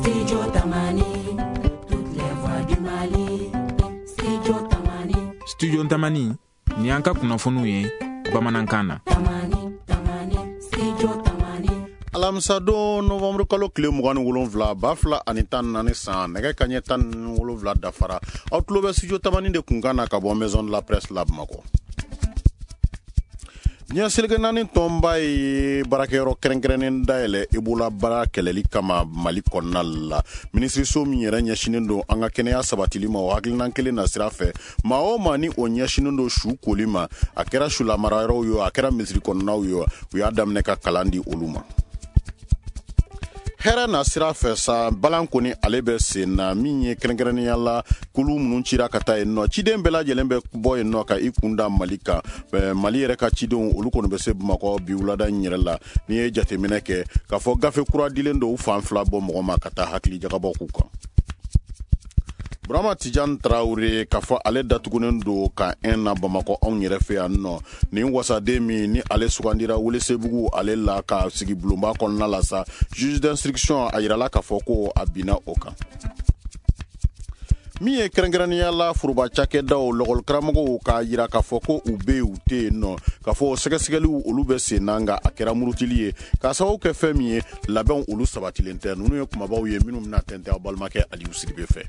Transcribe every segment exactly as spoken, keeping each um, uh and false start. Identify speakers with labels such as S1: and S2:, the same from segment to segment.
S1: Studio Tamani, toutes les voix du Mali. Studio Tamani.
S2: Studio Tamani, ni an ka kunnafoniw ye bamanankan na.
S1: Tamani, Tamani, Studio Tamani.
S3: Alamisadon novembre kalo tile mugan ni wolonfila ba fila ani tan naani san, nɛgɛ kaɲɛ tan ni wolonfila dafara. Aw tulo bɛ Studio Tamani de kunkan na ka bɔ Maison de la Presse la Bamakɔ. Diɲɛ seleke naani tɔnba ye baarakɛyɔrɔ kɛrɛnkɛrɛnnen dayɛlɛ Ebola baara kɛlɛli kama Mali kɔnɔna la. Minisiriso min yɛrɛ ɲɛsinnen don an ka kɛnɛya sabatili ma, o hakilinan kelen na sira fɛ, maa o maa ni o ɲɛsinnen don su koli ma, a kɛra sulamarayɔrɔw ye, a kɛra misiri kɔnɔnaw ye, u y'a daminɛ ka kalan di olu ma. Hɛrɛ na sira fɛ sa, balan kɔni ale bɛ sen na, min ye kɛrɛnkɛrɛnnenya la kulu minnu cira ka taa yen nɔ, ciden bɛɛ lajɛlen bɛ bɔ yen nɔ ka i kun da Mali kan. Mali yɛrɛ ka cidenw olu kɔni bɛ se Bamakɔ bi wulada in yɛrɛ la. N'i ye jateminɛ kɛ k'a fɔ gafe kura dilen don u fan fila bɔ mɔgɔ ma ka taa hakili jagabɔ k'u kan. Burama Tijan Tarawele, k'a fɔ ale datugunen don ka un na Bamakɔ anw yɛrɛ fɛ yan nɔ. Nin wasaden min ni ale sugandira Welesebugu ale la ka sigi bulonba kɔnɔna la sa, juge d'instruction a yirala k'a fɔ ko a binna o kan. Min ye kɛrɛnkɛrɛnnenya la foroba cakɛdaw lɔgɔlikaramɔgɔw k'a yira k'a fɔ ko u bɛ yen u tɛ yen nɔ, k'a fɔ sɛgɛsɛgɛliw olu bɛ sen na, nka a kɛra murutili ye k'a sababu kɛ fɛn min ye, labɛnw olu sabatilen tɛ. Ninnu ye kumabaw ye minnu bɛna tɛntɛn aw balimakɛ Aliyu Sidibe fɛ.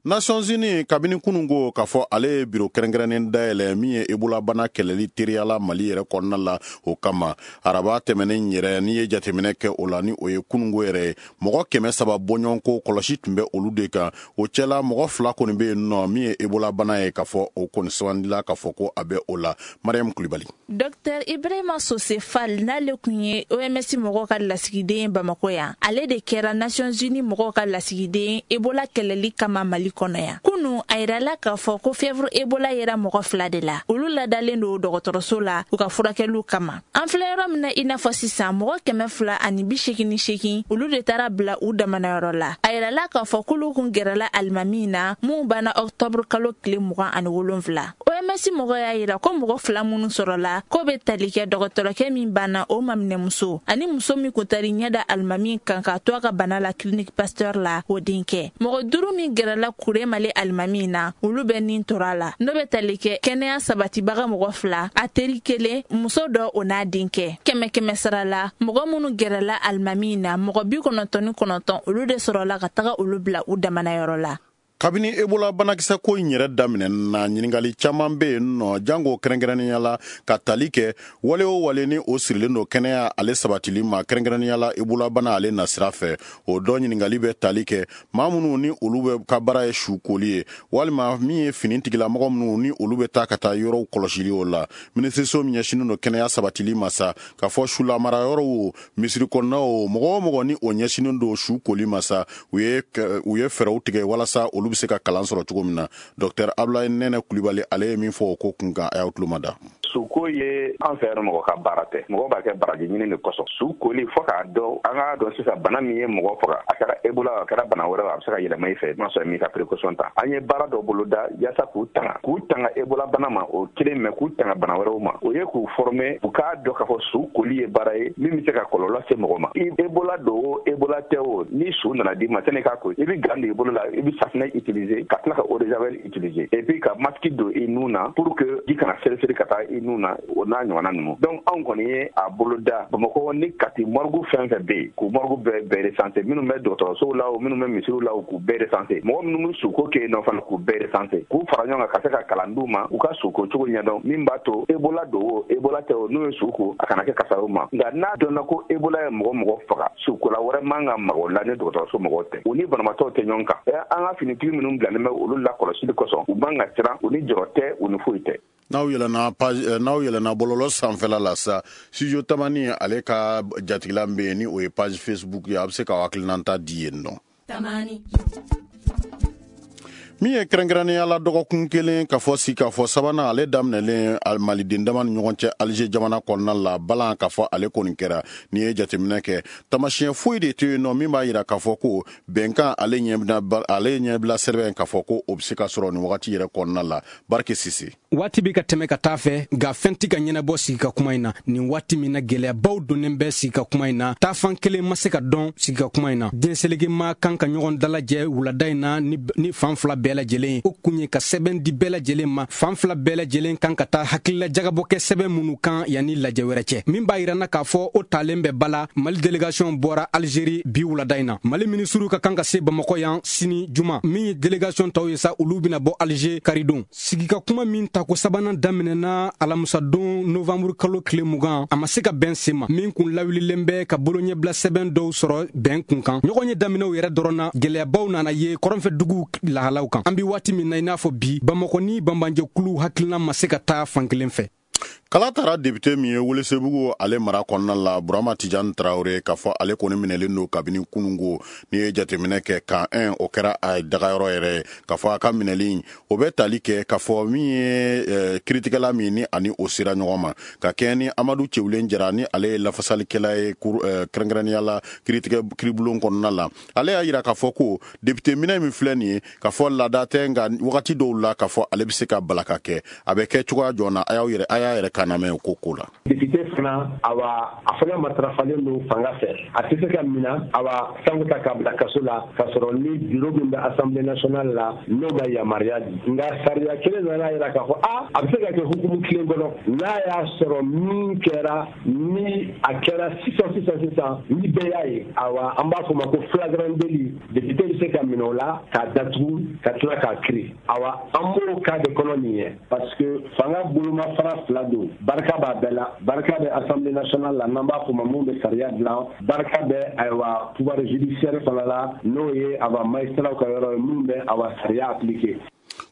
S3: Nations Unies kabini kununko k'a fɔ ale ye biro kɛrɛnkɛrɛnnen dayɛlɛ min ye Ebola bana kɛlɛli teriyala Mali yɛrɛ kɔnɔna la o kama. Araba tɛmɛnen yɛrɛ, n'i ye jateminɛ kɛ o la, ni o ye kununko yɛrɛ ye, mɔgɔ kɛmɛ saba bɔɲɔgɔnko kɔlɔsi tun bɛ olu de kan. O cɛla mɔgɔ fila kɔni bɛ yen nɔ min ye Ebola bana ye, k'a fɔ o kɔni sugandila k'a fɔ ko a bɛ o la. Mariam Kulibali.
S4: Docteur Ibrahima Sose Fall, n'ale kun ye O M S mɔgɔw ka lasigiden ye Bamakɔ yan, ale de kɛra Nations Unies mɔgɔw ka lasigiden Ebola kɛlɛli kama Mali kɔnɔ yan. Kunu a yirala k'a fɔ ko fièvre Ebola yera mɔgɔ fila de la, olu ladalen don dɔgɔtɔrɔso la u ka furakɛliw kama. An filɛ yɔrɔ min na i n'a fɔ sisan, mɔgɔ kɛmɛ fila ani bi seegin ni seegin olu de taara bila u damanayɔrɔ la. A yirala k'a fɔ k'olu kun gɛrɛla alimami na mun banna octobre kalo tile mugan ani wolonfila. O M S mɔgɔ y'a yira ko mɔgɔ fila minnu sɔrɔla k'o bɛ tali kɛ dɔgɔtɔrɔkɛ min banna o maminɛmuso ani muso min kun taara ɲɛ da alimami kan k'a to a ka bana la clinique Pasteur la o denkɛ. Mɔgɔ duuru min gɛrɛla Kure Mali alimami na, olu bɛ nin tora la, n'o bɛ tali kɛ kɛnɛya sabatibaga mɔgɔ fila, a teri kelen, muso dɔ o n'a denkɛ. Kɛmɛ kɛmɛ sara la, mɔgɔ minnu gɛrɛla alimami na, mɔgɔ bi kɔnɔntɔn ni kɔnɔntɔn olu de sɔrɔla ka taga olu bila u damanayɔrɔ la.
S3: Kabini Ebola banakisɛ ko in yɛrɛ daminɛ na, ɲininkali caman bɛ yen nɔ, jango kɛrɛnkɛrɛnnenya la ka tali kɛ wale o wale ni o sirilen don kɛnɛya ale sabatili ma, kɛrɛnkɛrɛnnenya la Ebola bana ale nasira fɛ. O dɔ ɲininkali bɛ tali kɛ maa minnu ni olu bɛ ka baara ye su koli ye, walima min ye fini tigilamɔgɔ minnu ni olu bɛ taa ka taa yɔrɔw kɔlɔsili o la. Minisiriso min ɲɛsinnen don kɛnɛya sabatili ma sa, k'a fɔ sulamarayɔrɔw o, misiri kɔnɔnaw o, mɔgɔ o mɔgɔ ni o ɲɛsinnen don su koli ma sa, u ye u ye fɛɛrɛw tigɛ walasa olu bɛ se ka kalan sɔrɔ cogo min na. Docteur Abdoulaye Nɛnɛ Kulibali ale ye min fɔ o ko kun kan, a y'aw tulo mada.
S5: Suko ye an fɛ yan mɔgɔ ka baara tɛ, mɔgɔ b'a kɛ baraji ɲini de kosɔn. Su koli fo k'a dɔn, an k'a dɔn sisan bana min ye mɔgɔ faga, a kɛra Ebola a kɛra bana wɛrɛ, a bɛ se ka yɛlɛma i fɛ n'a sɔrɔ m'i ka précaution ta. An ye baara dɔ boloda yaasa k'u tanga k'u tanga Ebola bana ma, o kelen mɛ k'u tanga bana wɛrɛw ma. O ye k'u former, u k'a dɔn k'a fɔ su koli ye baara ye min bɛ se ka kɔlɔlɔ se mɔgɔ ma. Ebola don o Ebola tɛ o, ni su nana d'i ma sani k'a ko, i bɛ gant don i bolo la, i bɛ safinɛ utiliser ka tila ka eau de javel utiliser et puis ka masque don i nun na pour que ji kana seri-seri ka taa i nun na, o n'a ɲɔgɔnna ninnu. Donc anw kɔni ye a boloda Bamakɔ ni Kati morgue fɛn fɛn bɛ yen, k'u morgue bɛɛ bɛɛ recenser, minnu bɛ dɔgɔtɔrɔsow la o minnu bɛ misiriw la o, k'u bɛɛ recenser, mɔgɔ minnu bɛ suko kɛ yen nɔ fana k'u bɛɛ recenser, k'u fara ɲɔgɔn kan ka se ka kalan d'u ma u ka suko cogo ɲɛdɔn, min b'a to Ebola don o Ebola tɛ o, n'u ye su ko a kana kɛ kasaraw ma. Nka n'a dɔnna ko Ebola ye mɔgɔ mɔgɔ faga, sukola wɛrɛ man ka maga o la ni dɔgɔtɔrɔso mɔgɔw tɛ, u ni banabaatɔw tɛ ɲɔgɔn kan. An ka finitigi minnu bilalen bɛ olu lakɔlɔsili kosɔn, u man ka siran, u ni jɔrɔ tɛ, u ni foyi tɛ.
S3: N'aw yɛlɛnna page, n'aw yɛlɛnna bɔlɔlɔ sanfɛla la sa, Studio Tamani ale ka jatigila bɛ yen ni o ye page Facebook ye, a bɛ se k'aw hakilinata di yen nɔ.
S1: Tamani.
S3: Min ye kɛrɛnkɛrɛnnenya la dɔgɔkun kelen ka fɔ si k'a fɔ sabanan ale daminɛlen maliden dama ni ɲɔgɔn cɛ Alger jamana kɔnɔna la, balan k'a fɔ ale kɔni kɛra. N'i ye jateminɛ kɛ, tamasiyɛn foyi de tɛ yen nɔ min b'a yira k'a fɔ ko bɛnkan ale ɲɛbila ale ɲɛbila sɛbɛn k'a fɔ ko o bɛ se ka sɔrɔ nin wagati yɛrɛ kɔnɔna la. Barike Sise.
S6: Waati bɛ ka tɛmɛ ka taa fɛ, nka fɛn tɛ ka ɲɛnabɔ sigi ka kuma in na. Nin waati min na gɛlɛyabaw donnen bɛ sigi ka kuma in na, taafan kelen ma se ka dɔn sigi ka kuma in na. Diɲɛseleke ma kan ka ɲɔgɔn dalajɛ wulada in na ni, ni fan fila bɛɛ lajɛlen. O kun ye ka sɛbɛn di bɛɛ lajɛlen ma. Fan fila bɛɛ lajɛlen kan ka taa hakilila jagabɔ kɛ sɛbɛn minnu kan yanni lajɛ wɛrɛ cɛ. Min b'a yira na k'a fɔ o talen bɛ ba la, Mali délégation bɔra Algérie bi wulada in na. Mali minisiriw ka kan ka se Bamakɔ yan sini juma. Min ye délégation tɔw ye sa, olu bɛna bɔ Alger karidon. Sigi ka kuma min tako sabanan daminɛna alamisadon novembre kalo tile mugan, a ma se ka bɛn sen ma. Min kun lawulilen bɛ ka boloɲɛbila sɛbɛn dɔw sɔrɔ bɛn kun kan. Ɲɔgɔn ye daminɛw yɛrɛ dɔrɔn na, gɛlɛyabaw nana ye kɔrɔnfɛ duguw lahalaw kan. An bi waati min na i n'a fɔ bi, Bamakɔ ni banbanjɛkulu hakilina ma se ka taa fan kelen fɛ.
S3: Kala taara député min ye Welesebugu ale mara kɔnɔna la, Burama Tijani Traoré, k'a fɔ ale kɔni minɛlen don kabini kunungo. N'i ye jateminɛ kɛ, kan un o kɛra a dagayɔrɔ yɛrɛ ye. K'a fɔ a ka minɛli o bɛ tali kɛ k'a fɔ min ye kiritigɛla min ni ani o sera ɲɔgɔn ma, ka kɛɲɛ ni Amadu Cewulen Jara ni ale ye lafasalikɛla ye kɛrɛnkɛrɛnnenya la kiritigɛ kiribulon kɔnɔna la. Ale y'a yira k'a fɔ ko député minɛ min filɛ nin ye, k'a fɔ laada tɛ, nka wagati dɔw la k'a fɔ ale bɛ se ka balaka kɛ. A bɛ kɛ cogoya jɔn na, a y'aw yɛrɛ a y'a yɛrɛ kana mɛn o ko ko la.
S7: Député fana, awa a fana matarafalen don fanga fɛ, a tɛ se ka minɛ awa sango ta k'a bila kaso la k'a sɔrɔ ni bureau min bɛ Assemblée nationale la n'o ma yamaruya di. Nka sariya kelen nana yira k'a fɔ a a bɛ se ka kɛ hukumu kelen kɔnɔ, n'a y'a sɔrɔ min kɛra ni a kɛra sisan sisan sisan ni bɛɛ y'a ye, awa an b'a fɔ o ma ko flagrant délit, député bɛ se ka minɛ o la k'a datugu ka tila k'a kiri. Awa an b'o cas de kɔnɔ nin ye, parce que fanga bolomafara fila don, barika b'a bɛɛ la. Barika bɛ Assemblée nationale la n'an b'a fɔ ma mun bɛ sariya dilan, barika bɛ ayiwa pouvoir judiciaire fana la n'o ye awa magistrat ka yɔrɔ ye mun bɛ awa sariya appliquer.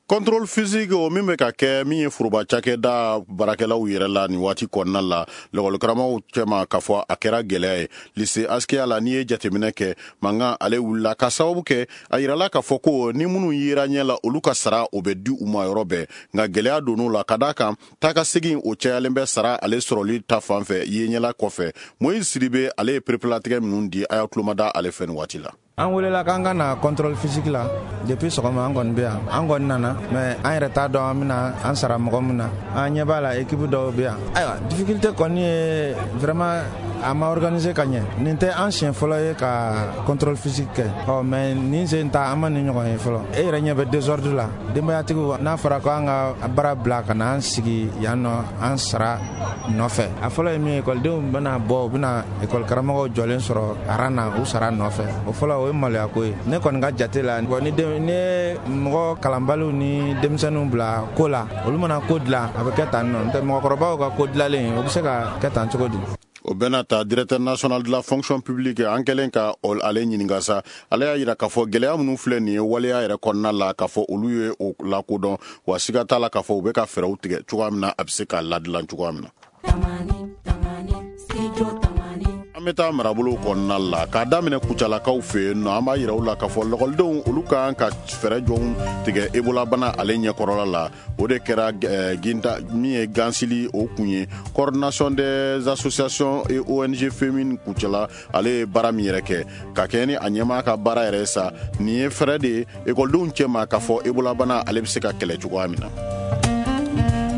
S3: Contrôle physique o min bɛ ka kɛ min ye foroba cakɛda baarakɛlaw yɛrɛ la nin waati kɔnɔna la lɔgɔlikaramɔgɔw cɛma, k'a fɔ a kɛra gɛlɛya ye lycée Askia la. N'i ye jateminɛ kɛ, mankan ale wulila ka sababu kɛ a yirala k'a fɔ ko ni minnu yera ɲɛ la, olu ka sara o bɛ di u ma yɔrɔ bɛɛ, nka gɛlɛya donn'o la ka d'a kan taa ka segin o cayalen bɛ sara ale sɔrɔli ta fan fɛ ye ɲɛla kɔfɛ. Moïse Sidibe ale ye perepelatigɛ minnu di, a y'a tulomada ale fɛ nin waati la.
S8: An welela k'an ka na contrôle physique la depuis sɔgɔma, an kɔni bɛ yan, an kɔni nana, mais an yɛrɛ t'a dɔn an bɛna an sara mɔgɔ min na. An ɲɛ b'a la équipe dɔw bɛ yan. Ayiwa, difficulté kɔni ye vraiment a ma organiser ka ɲɛ. Nin tɛ an siɲɛ fɔlɔ ye ka contrôle physique kɛ, ɔ mais nin sen ta an ma nin ɲɔgɔn ye fɔlɔ. E yɛrɛ ɲɛ bɛ désordre la, denbayatigiw n'a fɔra ko an ka baara bila ka na an sigi yan nɔ an sara nɔfɛ. A fɔlɔ ye min ye, ekɔlidenw bɛna bɔ, u bɛna ekɔli karamɔgɔw jɔlen sɔrɔ aran na u sara nɔfɛ. O fɔlɔ o ye maloya ko ye. Ne kɔni ka jate la, ni ni mɔgɔ kalanbaliw ni denmisɛnninw bila ko la, olu mana ko dilan a bɛ kɛ tan nɔ, n'o tɛ mɔgɔkɔrɔbaw ka ko dilanlen o bɛ se ka kɛ tan cogo di?
S3: O bɛna ta directeur national de la fonction publique an kɛlen ka ale ɲininka sa, ale y'a yira k'a fɔ gɛlɛya minnu filɛ nin ye waleya yɛrɛ kɔnɔna la, k'a fɔ olu ye o lakodɔn, wa siga t'a la k'a fɔ u bɛ ka fɛɛrɛw tigɛ cogoya min na a bɛ se ka ladilan cogoya min na. An bɛ taa marabolo kɔnɔna la k'a daminɛ Kucalakaw fɛ yen nɔ. An b'a yira u la k'a fɔ lɔgɔlidenw olu kan ka fɛɛrɛ jɔnw tigɛ Ebola bana ale ɲɛkɔrɔla la. O de kɛra ginta min ye gansili o kun ye coordination des associations et O N G féminines Kucala ale ye baara min yɛrɛ kɛ ka kɛ ni a ɲɛmaa ka baara yɛrɛ sa. Nin ye fɛɛrɛ de ye ekɔlidenw cɛma k'a fɔ Ebola bana ale bɛ se ka kɛlɛ cogoya min na.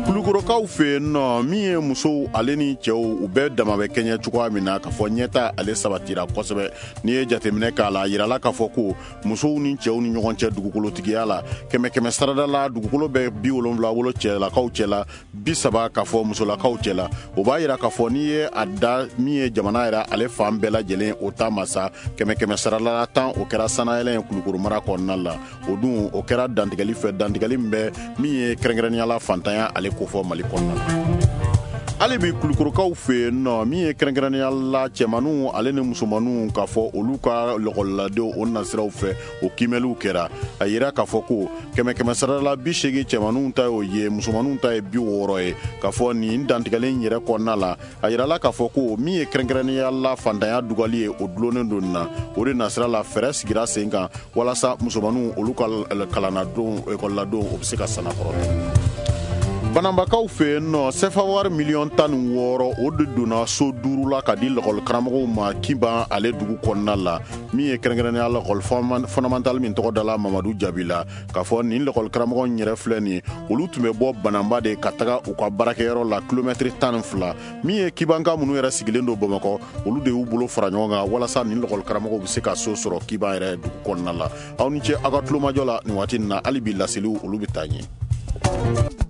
S3: Kulukorokaw fɛ yen nɔ, min ye musow ale ni cɛw u bɛɛ dama bɛ kɛɲɛ cogoya min na, k'a fɔ ɲɛta ale sabatira kosɛbɛ. N'i ye jateminɛ k'a la, a yirala k'a fɔ ko musow ni cɛw ni ɲɔgɔn cɛ dugukolotigiya la, kɛmɛ kɛmɛ sarada la dugukolo bɛ bi wolonwula wolo cɛlakaw cɛ la, bi saba k'a fɔ musolakaw cɛ la. O b'a yira k'a fɔ n'i ye a da min ye jamana yɛrɛ ale fan bɛɛ lajɛlen o ta ma sa, kɛmɛ kɛmɛ sarada la tan o kɛra sanayɛlɛ ye Kulukoro mara kɔnɔna la. O dun o kɛra dantigɛli fɛ, dantigɛli min bɛ min ye kɛrɛnkɛrɛnnenya la fantanya ale ko fɔ Mali kɔnɔna la. Hali bi Kulukorokaw fɛ yen nɔ, min ye kɛrɛnkɛrɛnnenya la cɛmaninw ale ni musomaninw, k'a fɔ olu ka lɔkɔliladenw o nasiraw fɛ, o kiimɛliw kɛra. A yira k'a fɔ ko kɛmɛ kɛmɛ sarala bi seegin cɛmaninw ta y'o ye, musomaninw ta ye bi wɔɔrɔ ye. K'a fɔ nin dantigɛlen yɛrɛ kɔnɔna la, a yirala k'a fɔ ko min ye kɛrɛnkɛrɛnnenya la fantanya dugali ye, o dulonnen don na. O de nasira la, fɛɛrɛ sigira sen kan walasa musomaninw olu ka kalannadenw, ekɔliladenw, o bɛ se ka sanakɔrɔta. Banambakaw fɛ yen nɔ, sefa wari miliyɔn tan ni wɔɔrɔ, o de donna so duuru la ka di lɔkɔlikaramɔgɔw ma Kiban ale dugu kɔnɔna la, min ye kɛrɛnkɛrɛnnenya lɔkɔli fondamental min tɔgɔ dala Mamadu Jabi la. K'a fɔ nin lɔkɔlikaramɔgɔ yɛrɛ filɛ nin, olu tun bɛ bɔ Banamba de ka taga u ka baarakɛyɔrɔ la kilomɛtiri tan ni fila. Min ye Kibanka minnu yɛrɛ sigilen don Bamakɔ, olu de y'u bolo fara ɲɔgɔn kan walasa nin lɔkɔlikaramɔgɔw bɛ se ka so sɔrɔ Kiban yɛrɛ dugu kɔnɔna la. Aw ni ce aw ka tulomajɔ la nin waati in na. Hali bi laseliw olu bɛ taa ɲɛ.